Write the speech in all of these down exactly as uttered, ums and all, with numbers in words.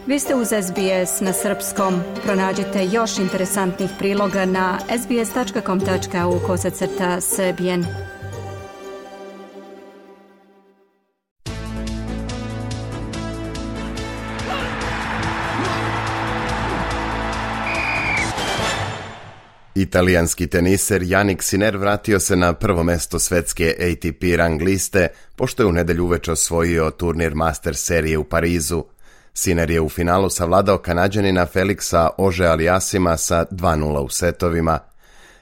Vi ste uz S B S na srpskom. Pronađite još interesantnih priloga na sbs.com.au kosacrta srbijen. Italijanski teniser Jannik Sinner vratio se na prvo mesto svetske A T P rang liste, pošto je u nedelju uveče osvojio turnir Masters serije u Parizu. Sinner je u finalu savladao Kanađanina Felixa Auger-Aliassima sa dva nula u setovima.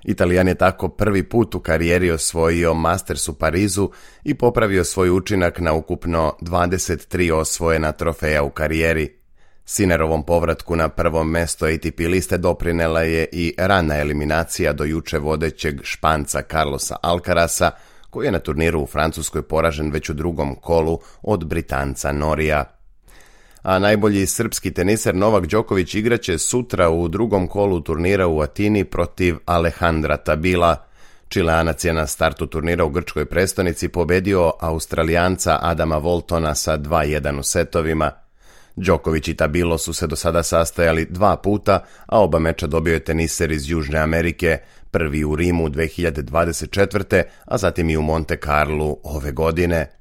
Italijan je tako prvi put u karijeri osvojio Masters u Parizu i popravio svoj učinak na ukupno dvadeset tri osvojena trofeja u karijeri. Sinnerovom povratku na prvo mesto A T P liste doprinela je i rana eliminacija do juče vodećeg Španca Carlosa Alcarasa, koji je na turniru u Francuskoj poražen već u drugom kolu od Britanca Norija. A najbolji srpski teniser Novak Đoković igraće sutra u drugom kolu turnira u Atini protiv Alejandra Tabila. Čileanac je na startu turnira u grčkoj prestonici pobedio Australijanca Adama Voltona sa dva jedan u setovima. Đoković i Tabilo su se do sada sastajali dva puta, a oba meča dobio je teniser iz Južne Amerike, prvi u Rimu dve hiljade dvadeset četvrte. a zatim i u Monte Carlu ove godine.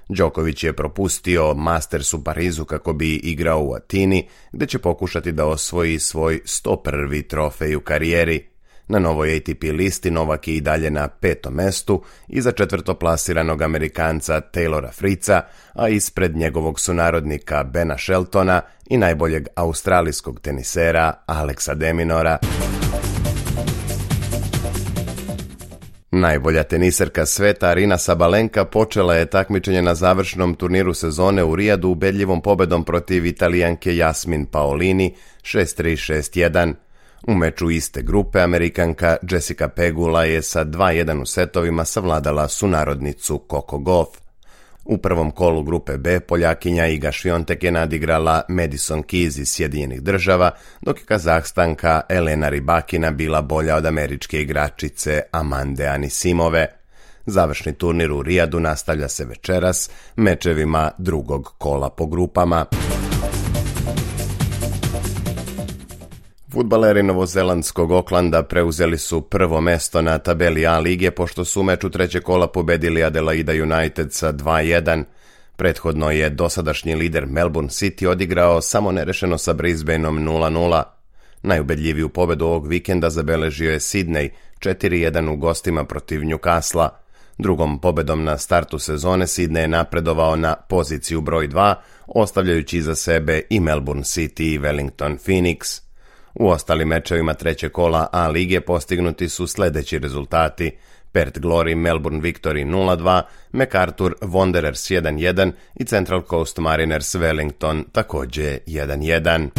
Đoković je propustio Masters u Parizu kako bi igrao u Atini, gde će pokušati da osvoji svoj sto prvi trofej u karijeri. Na novoj A T P listi Novak je i dalje na petom mestu, iza četvrtoplasiranog Amerikanca Taylora Fritza, a ispred njegovog sunarodnika Bena Sheltona i najboljeg australijskog tenisera Alexa de Minaura. Najbolja teniserka sveta Aryna Sabalenka počela je takmičenje na završnom turniru sezone u Rijadu ubedljivom pobedom protiv Italijanke Jasmin Paolini šest tri šest jedan. U meču iste grupe Amerikanka Jessica Pegula je sa dva jedan u setovima savladala sunarodnicu Coco Gauff. U prvom kolu grupe B Poljakinja Iga Swiatek je nadigrala Madison Keys iz Sjedinjenih Država, dok je Kazahstanka Elena Rybakina bila bolja od američke igračice Amande Anisimove. Završni turnir u Rijadu nastavlja se večeras mečevima drugog kola po grupama. Fudbaleri novozelandskog Aucklanda preuzeli su prvo mesto na tabeli A lige, pošto su u meču trećeg kola pobedili Adelaida United sa dva jedan. Prethodno je dosadašnji lider Melbourne City odigrao samo nerešeno sa Brisbaneom nula nula. Najubedljiviju pobedu ovog vikenda zabeležio je Sydney četiri jedan u gostima protiv Newcastle. Drugom pobedom na startu sezone Sydney je napredovao na poziciju broj dva, ostavljajući iza sebe i Melbourne City i Wellington Phoenix. U ostalim mečevima trećeg kola A lige postignuti su sljedeći rezultati: Perth Glory Melbourne Victory nula dva, MacArthur Wanderers jedan jedan i Central Coast Mariners Wellington također jedan jedan.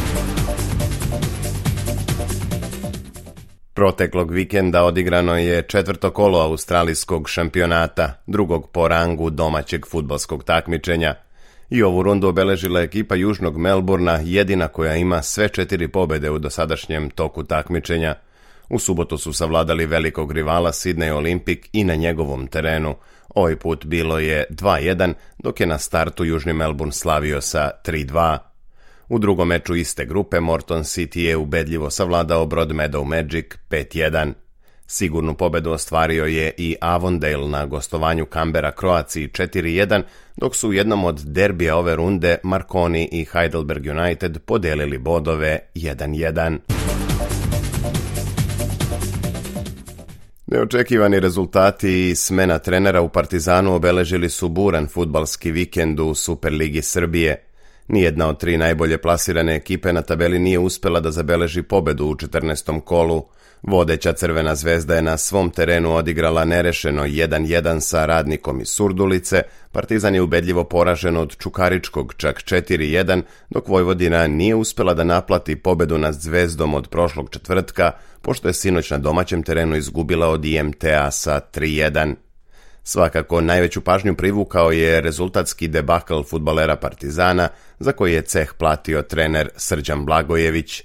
Proteklog vikenda odigrano je četvrto kolo australijskog šampionata, drugog po rangu domaćeg fudbalskog takmičenja. I ovu rundu obeležila ekipa Južnog Melburna, jedina koja ima sve četiri pobjede u dosadašnjem toku takmičenja. U subotu su savladali velikog rivala Sydney Olympic i na njegovom terenu. Ovaj put bilo je dva jedan, dok je na startu Južni Melbourne slavio sa tri dva. U drugom meču iste grupe Morton City je ubedljivo savladao Broadmeadow Magic pet jedan. Sigurnu pobedu ostvario je i Avondale na gostovanju Canberra Croaciji četiri jedan, dok su u jednom od derbija ove runde Marconi i Heidelberg United podelili bodove jedan jedan. Neočekivani rezultati i smena trenera u Partizanu obeležili su buran fudbalski vikend u Superligi Srbije. Nijedna od tri najbolje plasirane ekipe na tabeli nije uspela da zabeleži pobedu u četrnaestom kolu. Vodeća Crvena zvezda je na svom terenu odigrala nerešeno jedan jedan sa Radnikom iz Surdulice, Partizan je ubedljivo poražen od Čukaričkog čak četiri jedan, dok Vojvodina nije uspela da naplati pobedu nad Zvezdom od prošlog četvrtka, pošto je sinoć na domaćem terenu izgubila od I M T-a sa tri jedan. Svakako najveću pažnju privukao je rezultatski debakl fudbalera Partizana, za koji je ceh platio trener Srđan Blagojević.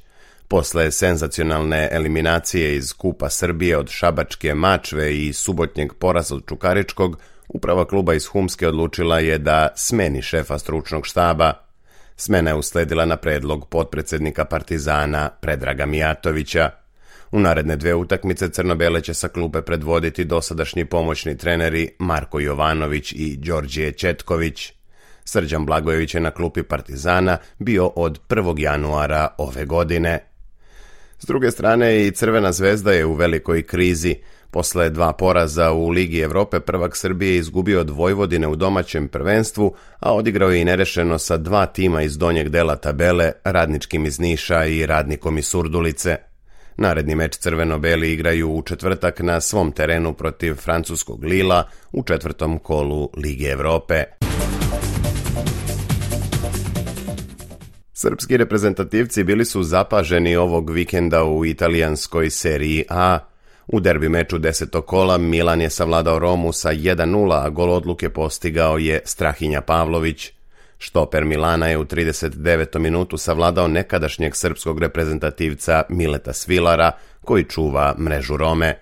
Posle senzacionalne eliminacije iz Kupa Srbije od Šabačke Mačve i subotnjeg poraza od Čukaričkog, uprava kluba iz Humske odlučila je da smeni šefa stručnog štaba. Smena je usledila na predlog potpredsjednika Partizana Predraga Mijatovića. U naredne dve utakmice crno-bele će sa klupe predvoditi dosadašnji pomoćni treneri Marko Jovanović i Đorđije Četković. Srđan Blagojević je na klupi Partizana bio od prvog januara ove godine. S druge strane, i Crvena zvezda je u velikoj krizi. Posle dva poraza u Ligi Evrope prvak Srbije izgubio od Vojvodine u domaćem prvenstvu, a odigrao je i nerešeno sa dva tima iz donjeg dela tabele, Radničkim iz Niša i Radnikom iz Surdulice. Naredni meč crveno-beli igraju u četvrtak na svom terenu protiv francuskog Lila u četvrtom kolu Lige Evrope. Srpski reprezentativci bili su zapaženi ovog vikenda u italijanskoj seriji A. U derbi meču desetog kola Milan je savladao Romu sa jedan nula, a gol odluke postigao je Strahinja Pavlović. Štoper Milana je u trideset devetom minutu savladao nekadašnjeg srpskog reprezentativca Mileta Svilara, koji čuva mrežu Rome.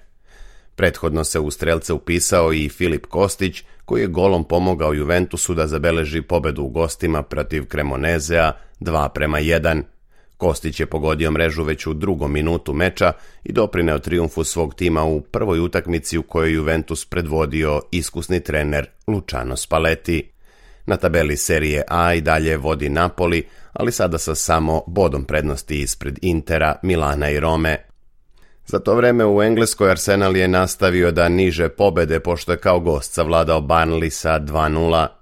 Prethodno se u strelce upisao i Filip Kostić, koji je golom pomogao Juventusu da zabeleži pobedu u gostima protiv Cremonezea dva prema jedan. Kostić je pogodio mrežu već u drugom minutu meča i doprineo trijumfu svog tima u prvoj utakmici u kojoj Juventus predvodio iskusni trener Luciano Spalletti. Na tabeli serije A i dalje vodi Napoli, ali sada sa samo bodom prednosti ispred Intera, Milana i Rome. Za to vreme u Engleskoj Arsenal je nastavio da niže pobede pošto je kao gost savladao Burnley sa dva nula.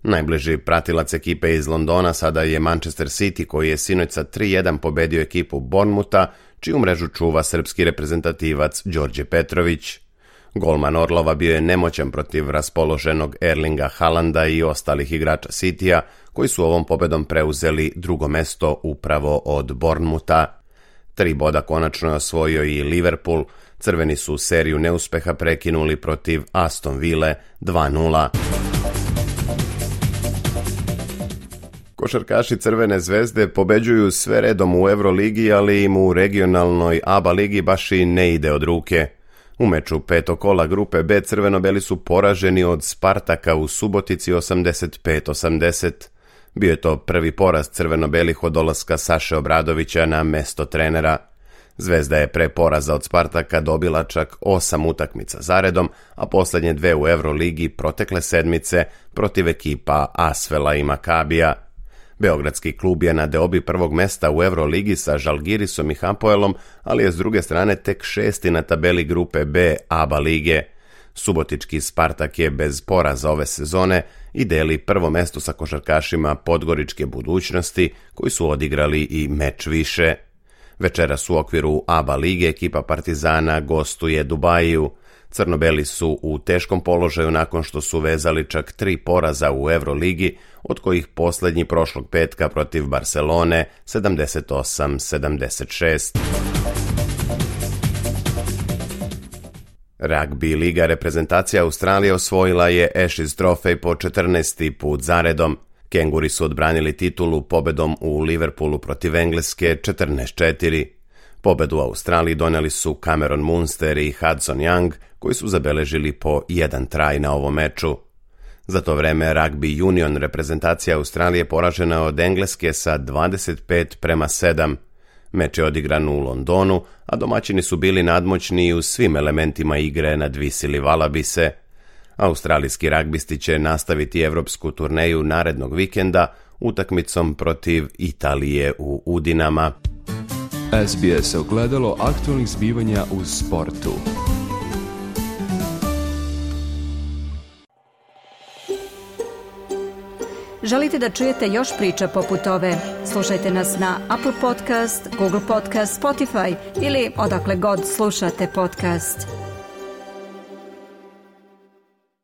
Najbliži pratilac ekipe iz Londona sada je Manchester City, koji je sinoć sa tri jedan pobedio ekipu Bournemoutha, čiju mrežu čuva srpski reprezentativac Đorđe Petrović. Golman Orlova bio je nemoćan protiv raspoloženog Erlinga Haalanda i ostalih igrača Citya, koji su ovom pobedom preuzeli drugo mesto upravo od Bournemoutha. Tri boda konačno je osvojio i Liverpool, crveni su seriju neuspeha prekinuli protiv Aston Ville dva nula. Košarkaši Crvene zvezde pobeđuju sve redom u Euroligi, ali im u regionalnoj A B A ligi baš i ne ide od ruke. U meču petog kola grupe B crveno-beli su poraženi od Spartaka u Subotici osamdeset pet osamdeset. Bio je to prvi poraz crveno-belih od dolaska Saše Obradovića na mesto trenera. Zvezda je pre poraza od Spartaka dobila čak osam utakmica zaredom, a posljednje dve u Euroligi protekle sedmice protiv ekipa Asvela i Makabija. Beogradski klub je na deobi prvog mesta u Euroligi sa Žalgirisom i Hapoelom, ali je s druge strane tek šesti na tabeli grupe B A B A lige. Subotički Spartak je bez poraza ove sezone i deli prvo mesto sa košarkašima Podgoričke budućnosti, koji su odigrali i meč više. Večeras u okviru A B A lige ekipa Partizana gostuje Dubaju. Crno-beli su u teškom položaju nakon što su vezali čak tri poraza u Euroligi, od kojih posljednji prošlog petka protiv Barcelone sedamdeset osam sedamdeset šest. Ragbi liga reprezentacija Australije osvojila je Ashes trofej po četrnaesti put zaredom. Kenguri su odbranili titulu pobedom u Liverpoolu protiv Engleske četrnaest četiri. Pobedu u Australiji doneli su Cameron Munster i Hudson Young, koji su zabeležili po jedan traj na ovom meču. Za to vreme Rugby Union reprezentacija Australije poražena od Engleske sa dvadeset pet prema sedam. Meč je odigran u Londonu, a domaćini su bili nadmoćni u svim elementima igre nadvisili Valabise. Australijski ragbisti će nastaviti evropsku turneju narednog vikenda utakmicom protiv Italije u Udinama. S B S ogledalo aktualnih zbivanja u sportu. Želite da čujete još priča poput ove? Slušajte nas na Apple Podcast, Google Podcast, Spotify ili odakle god slušate podcast.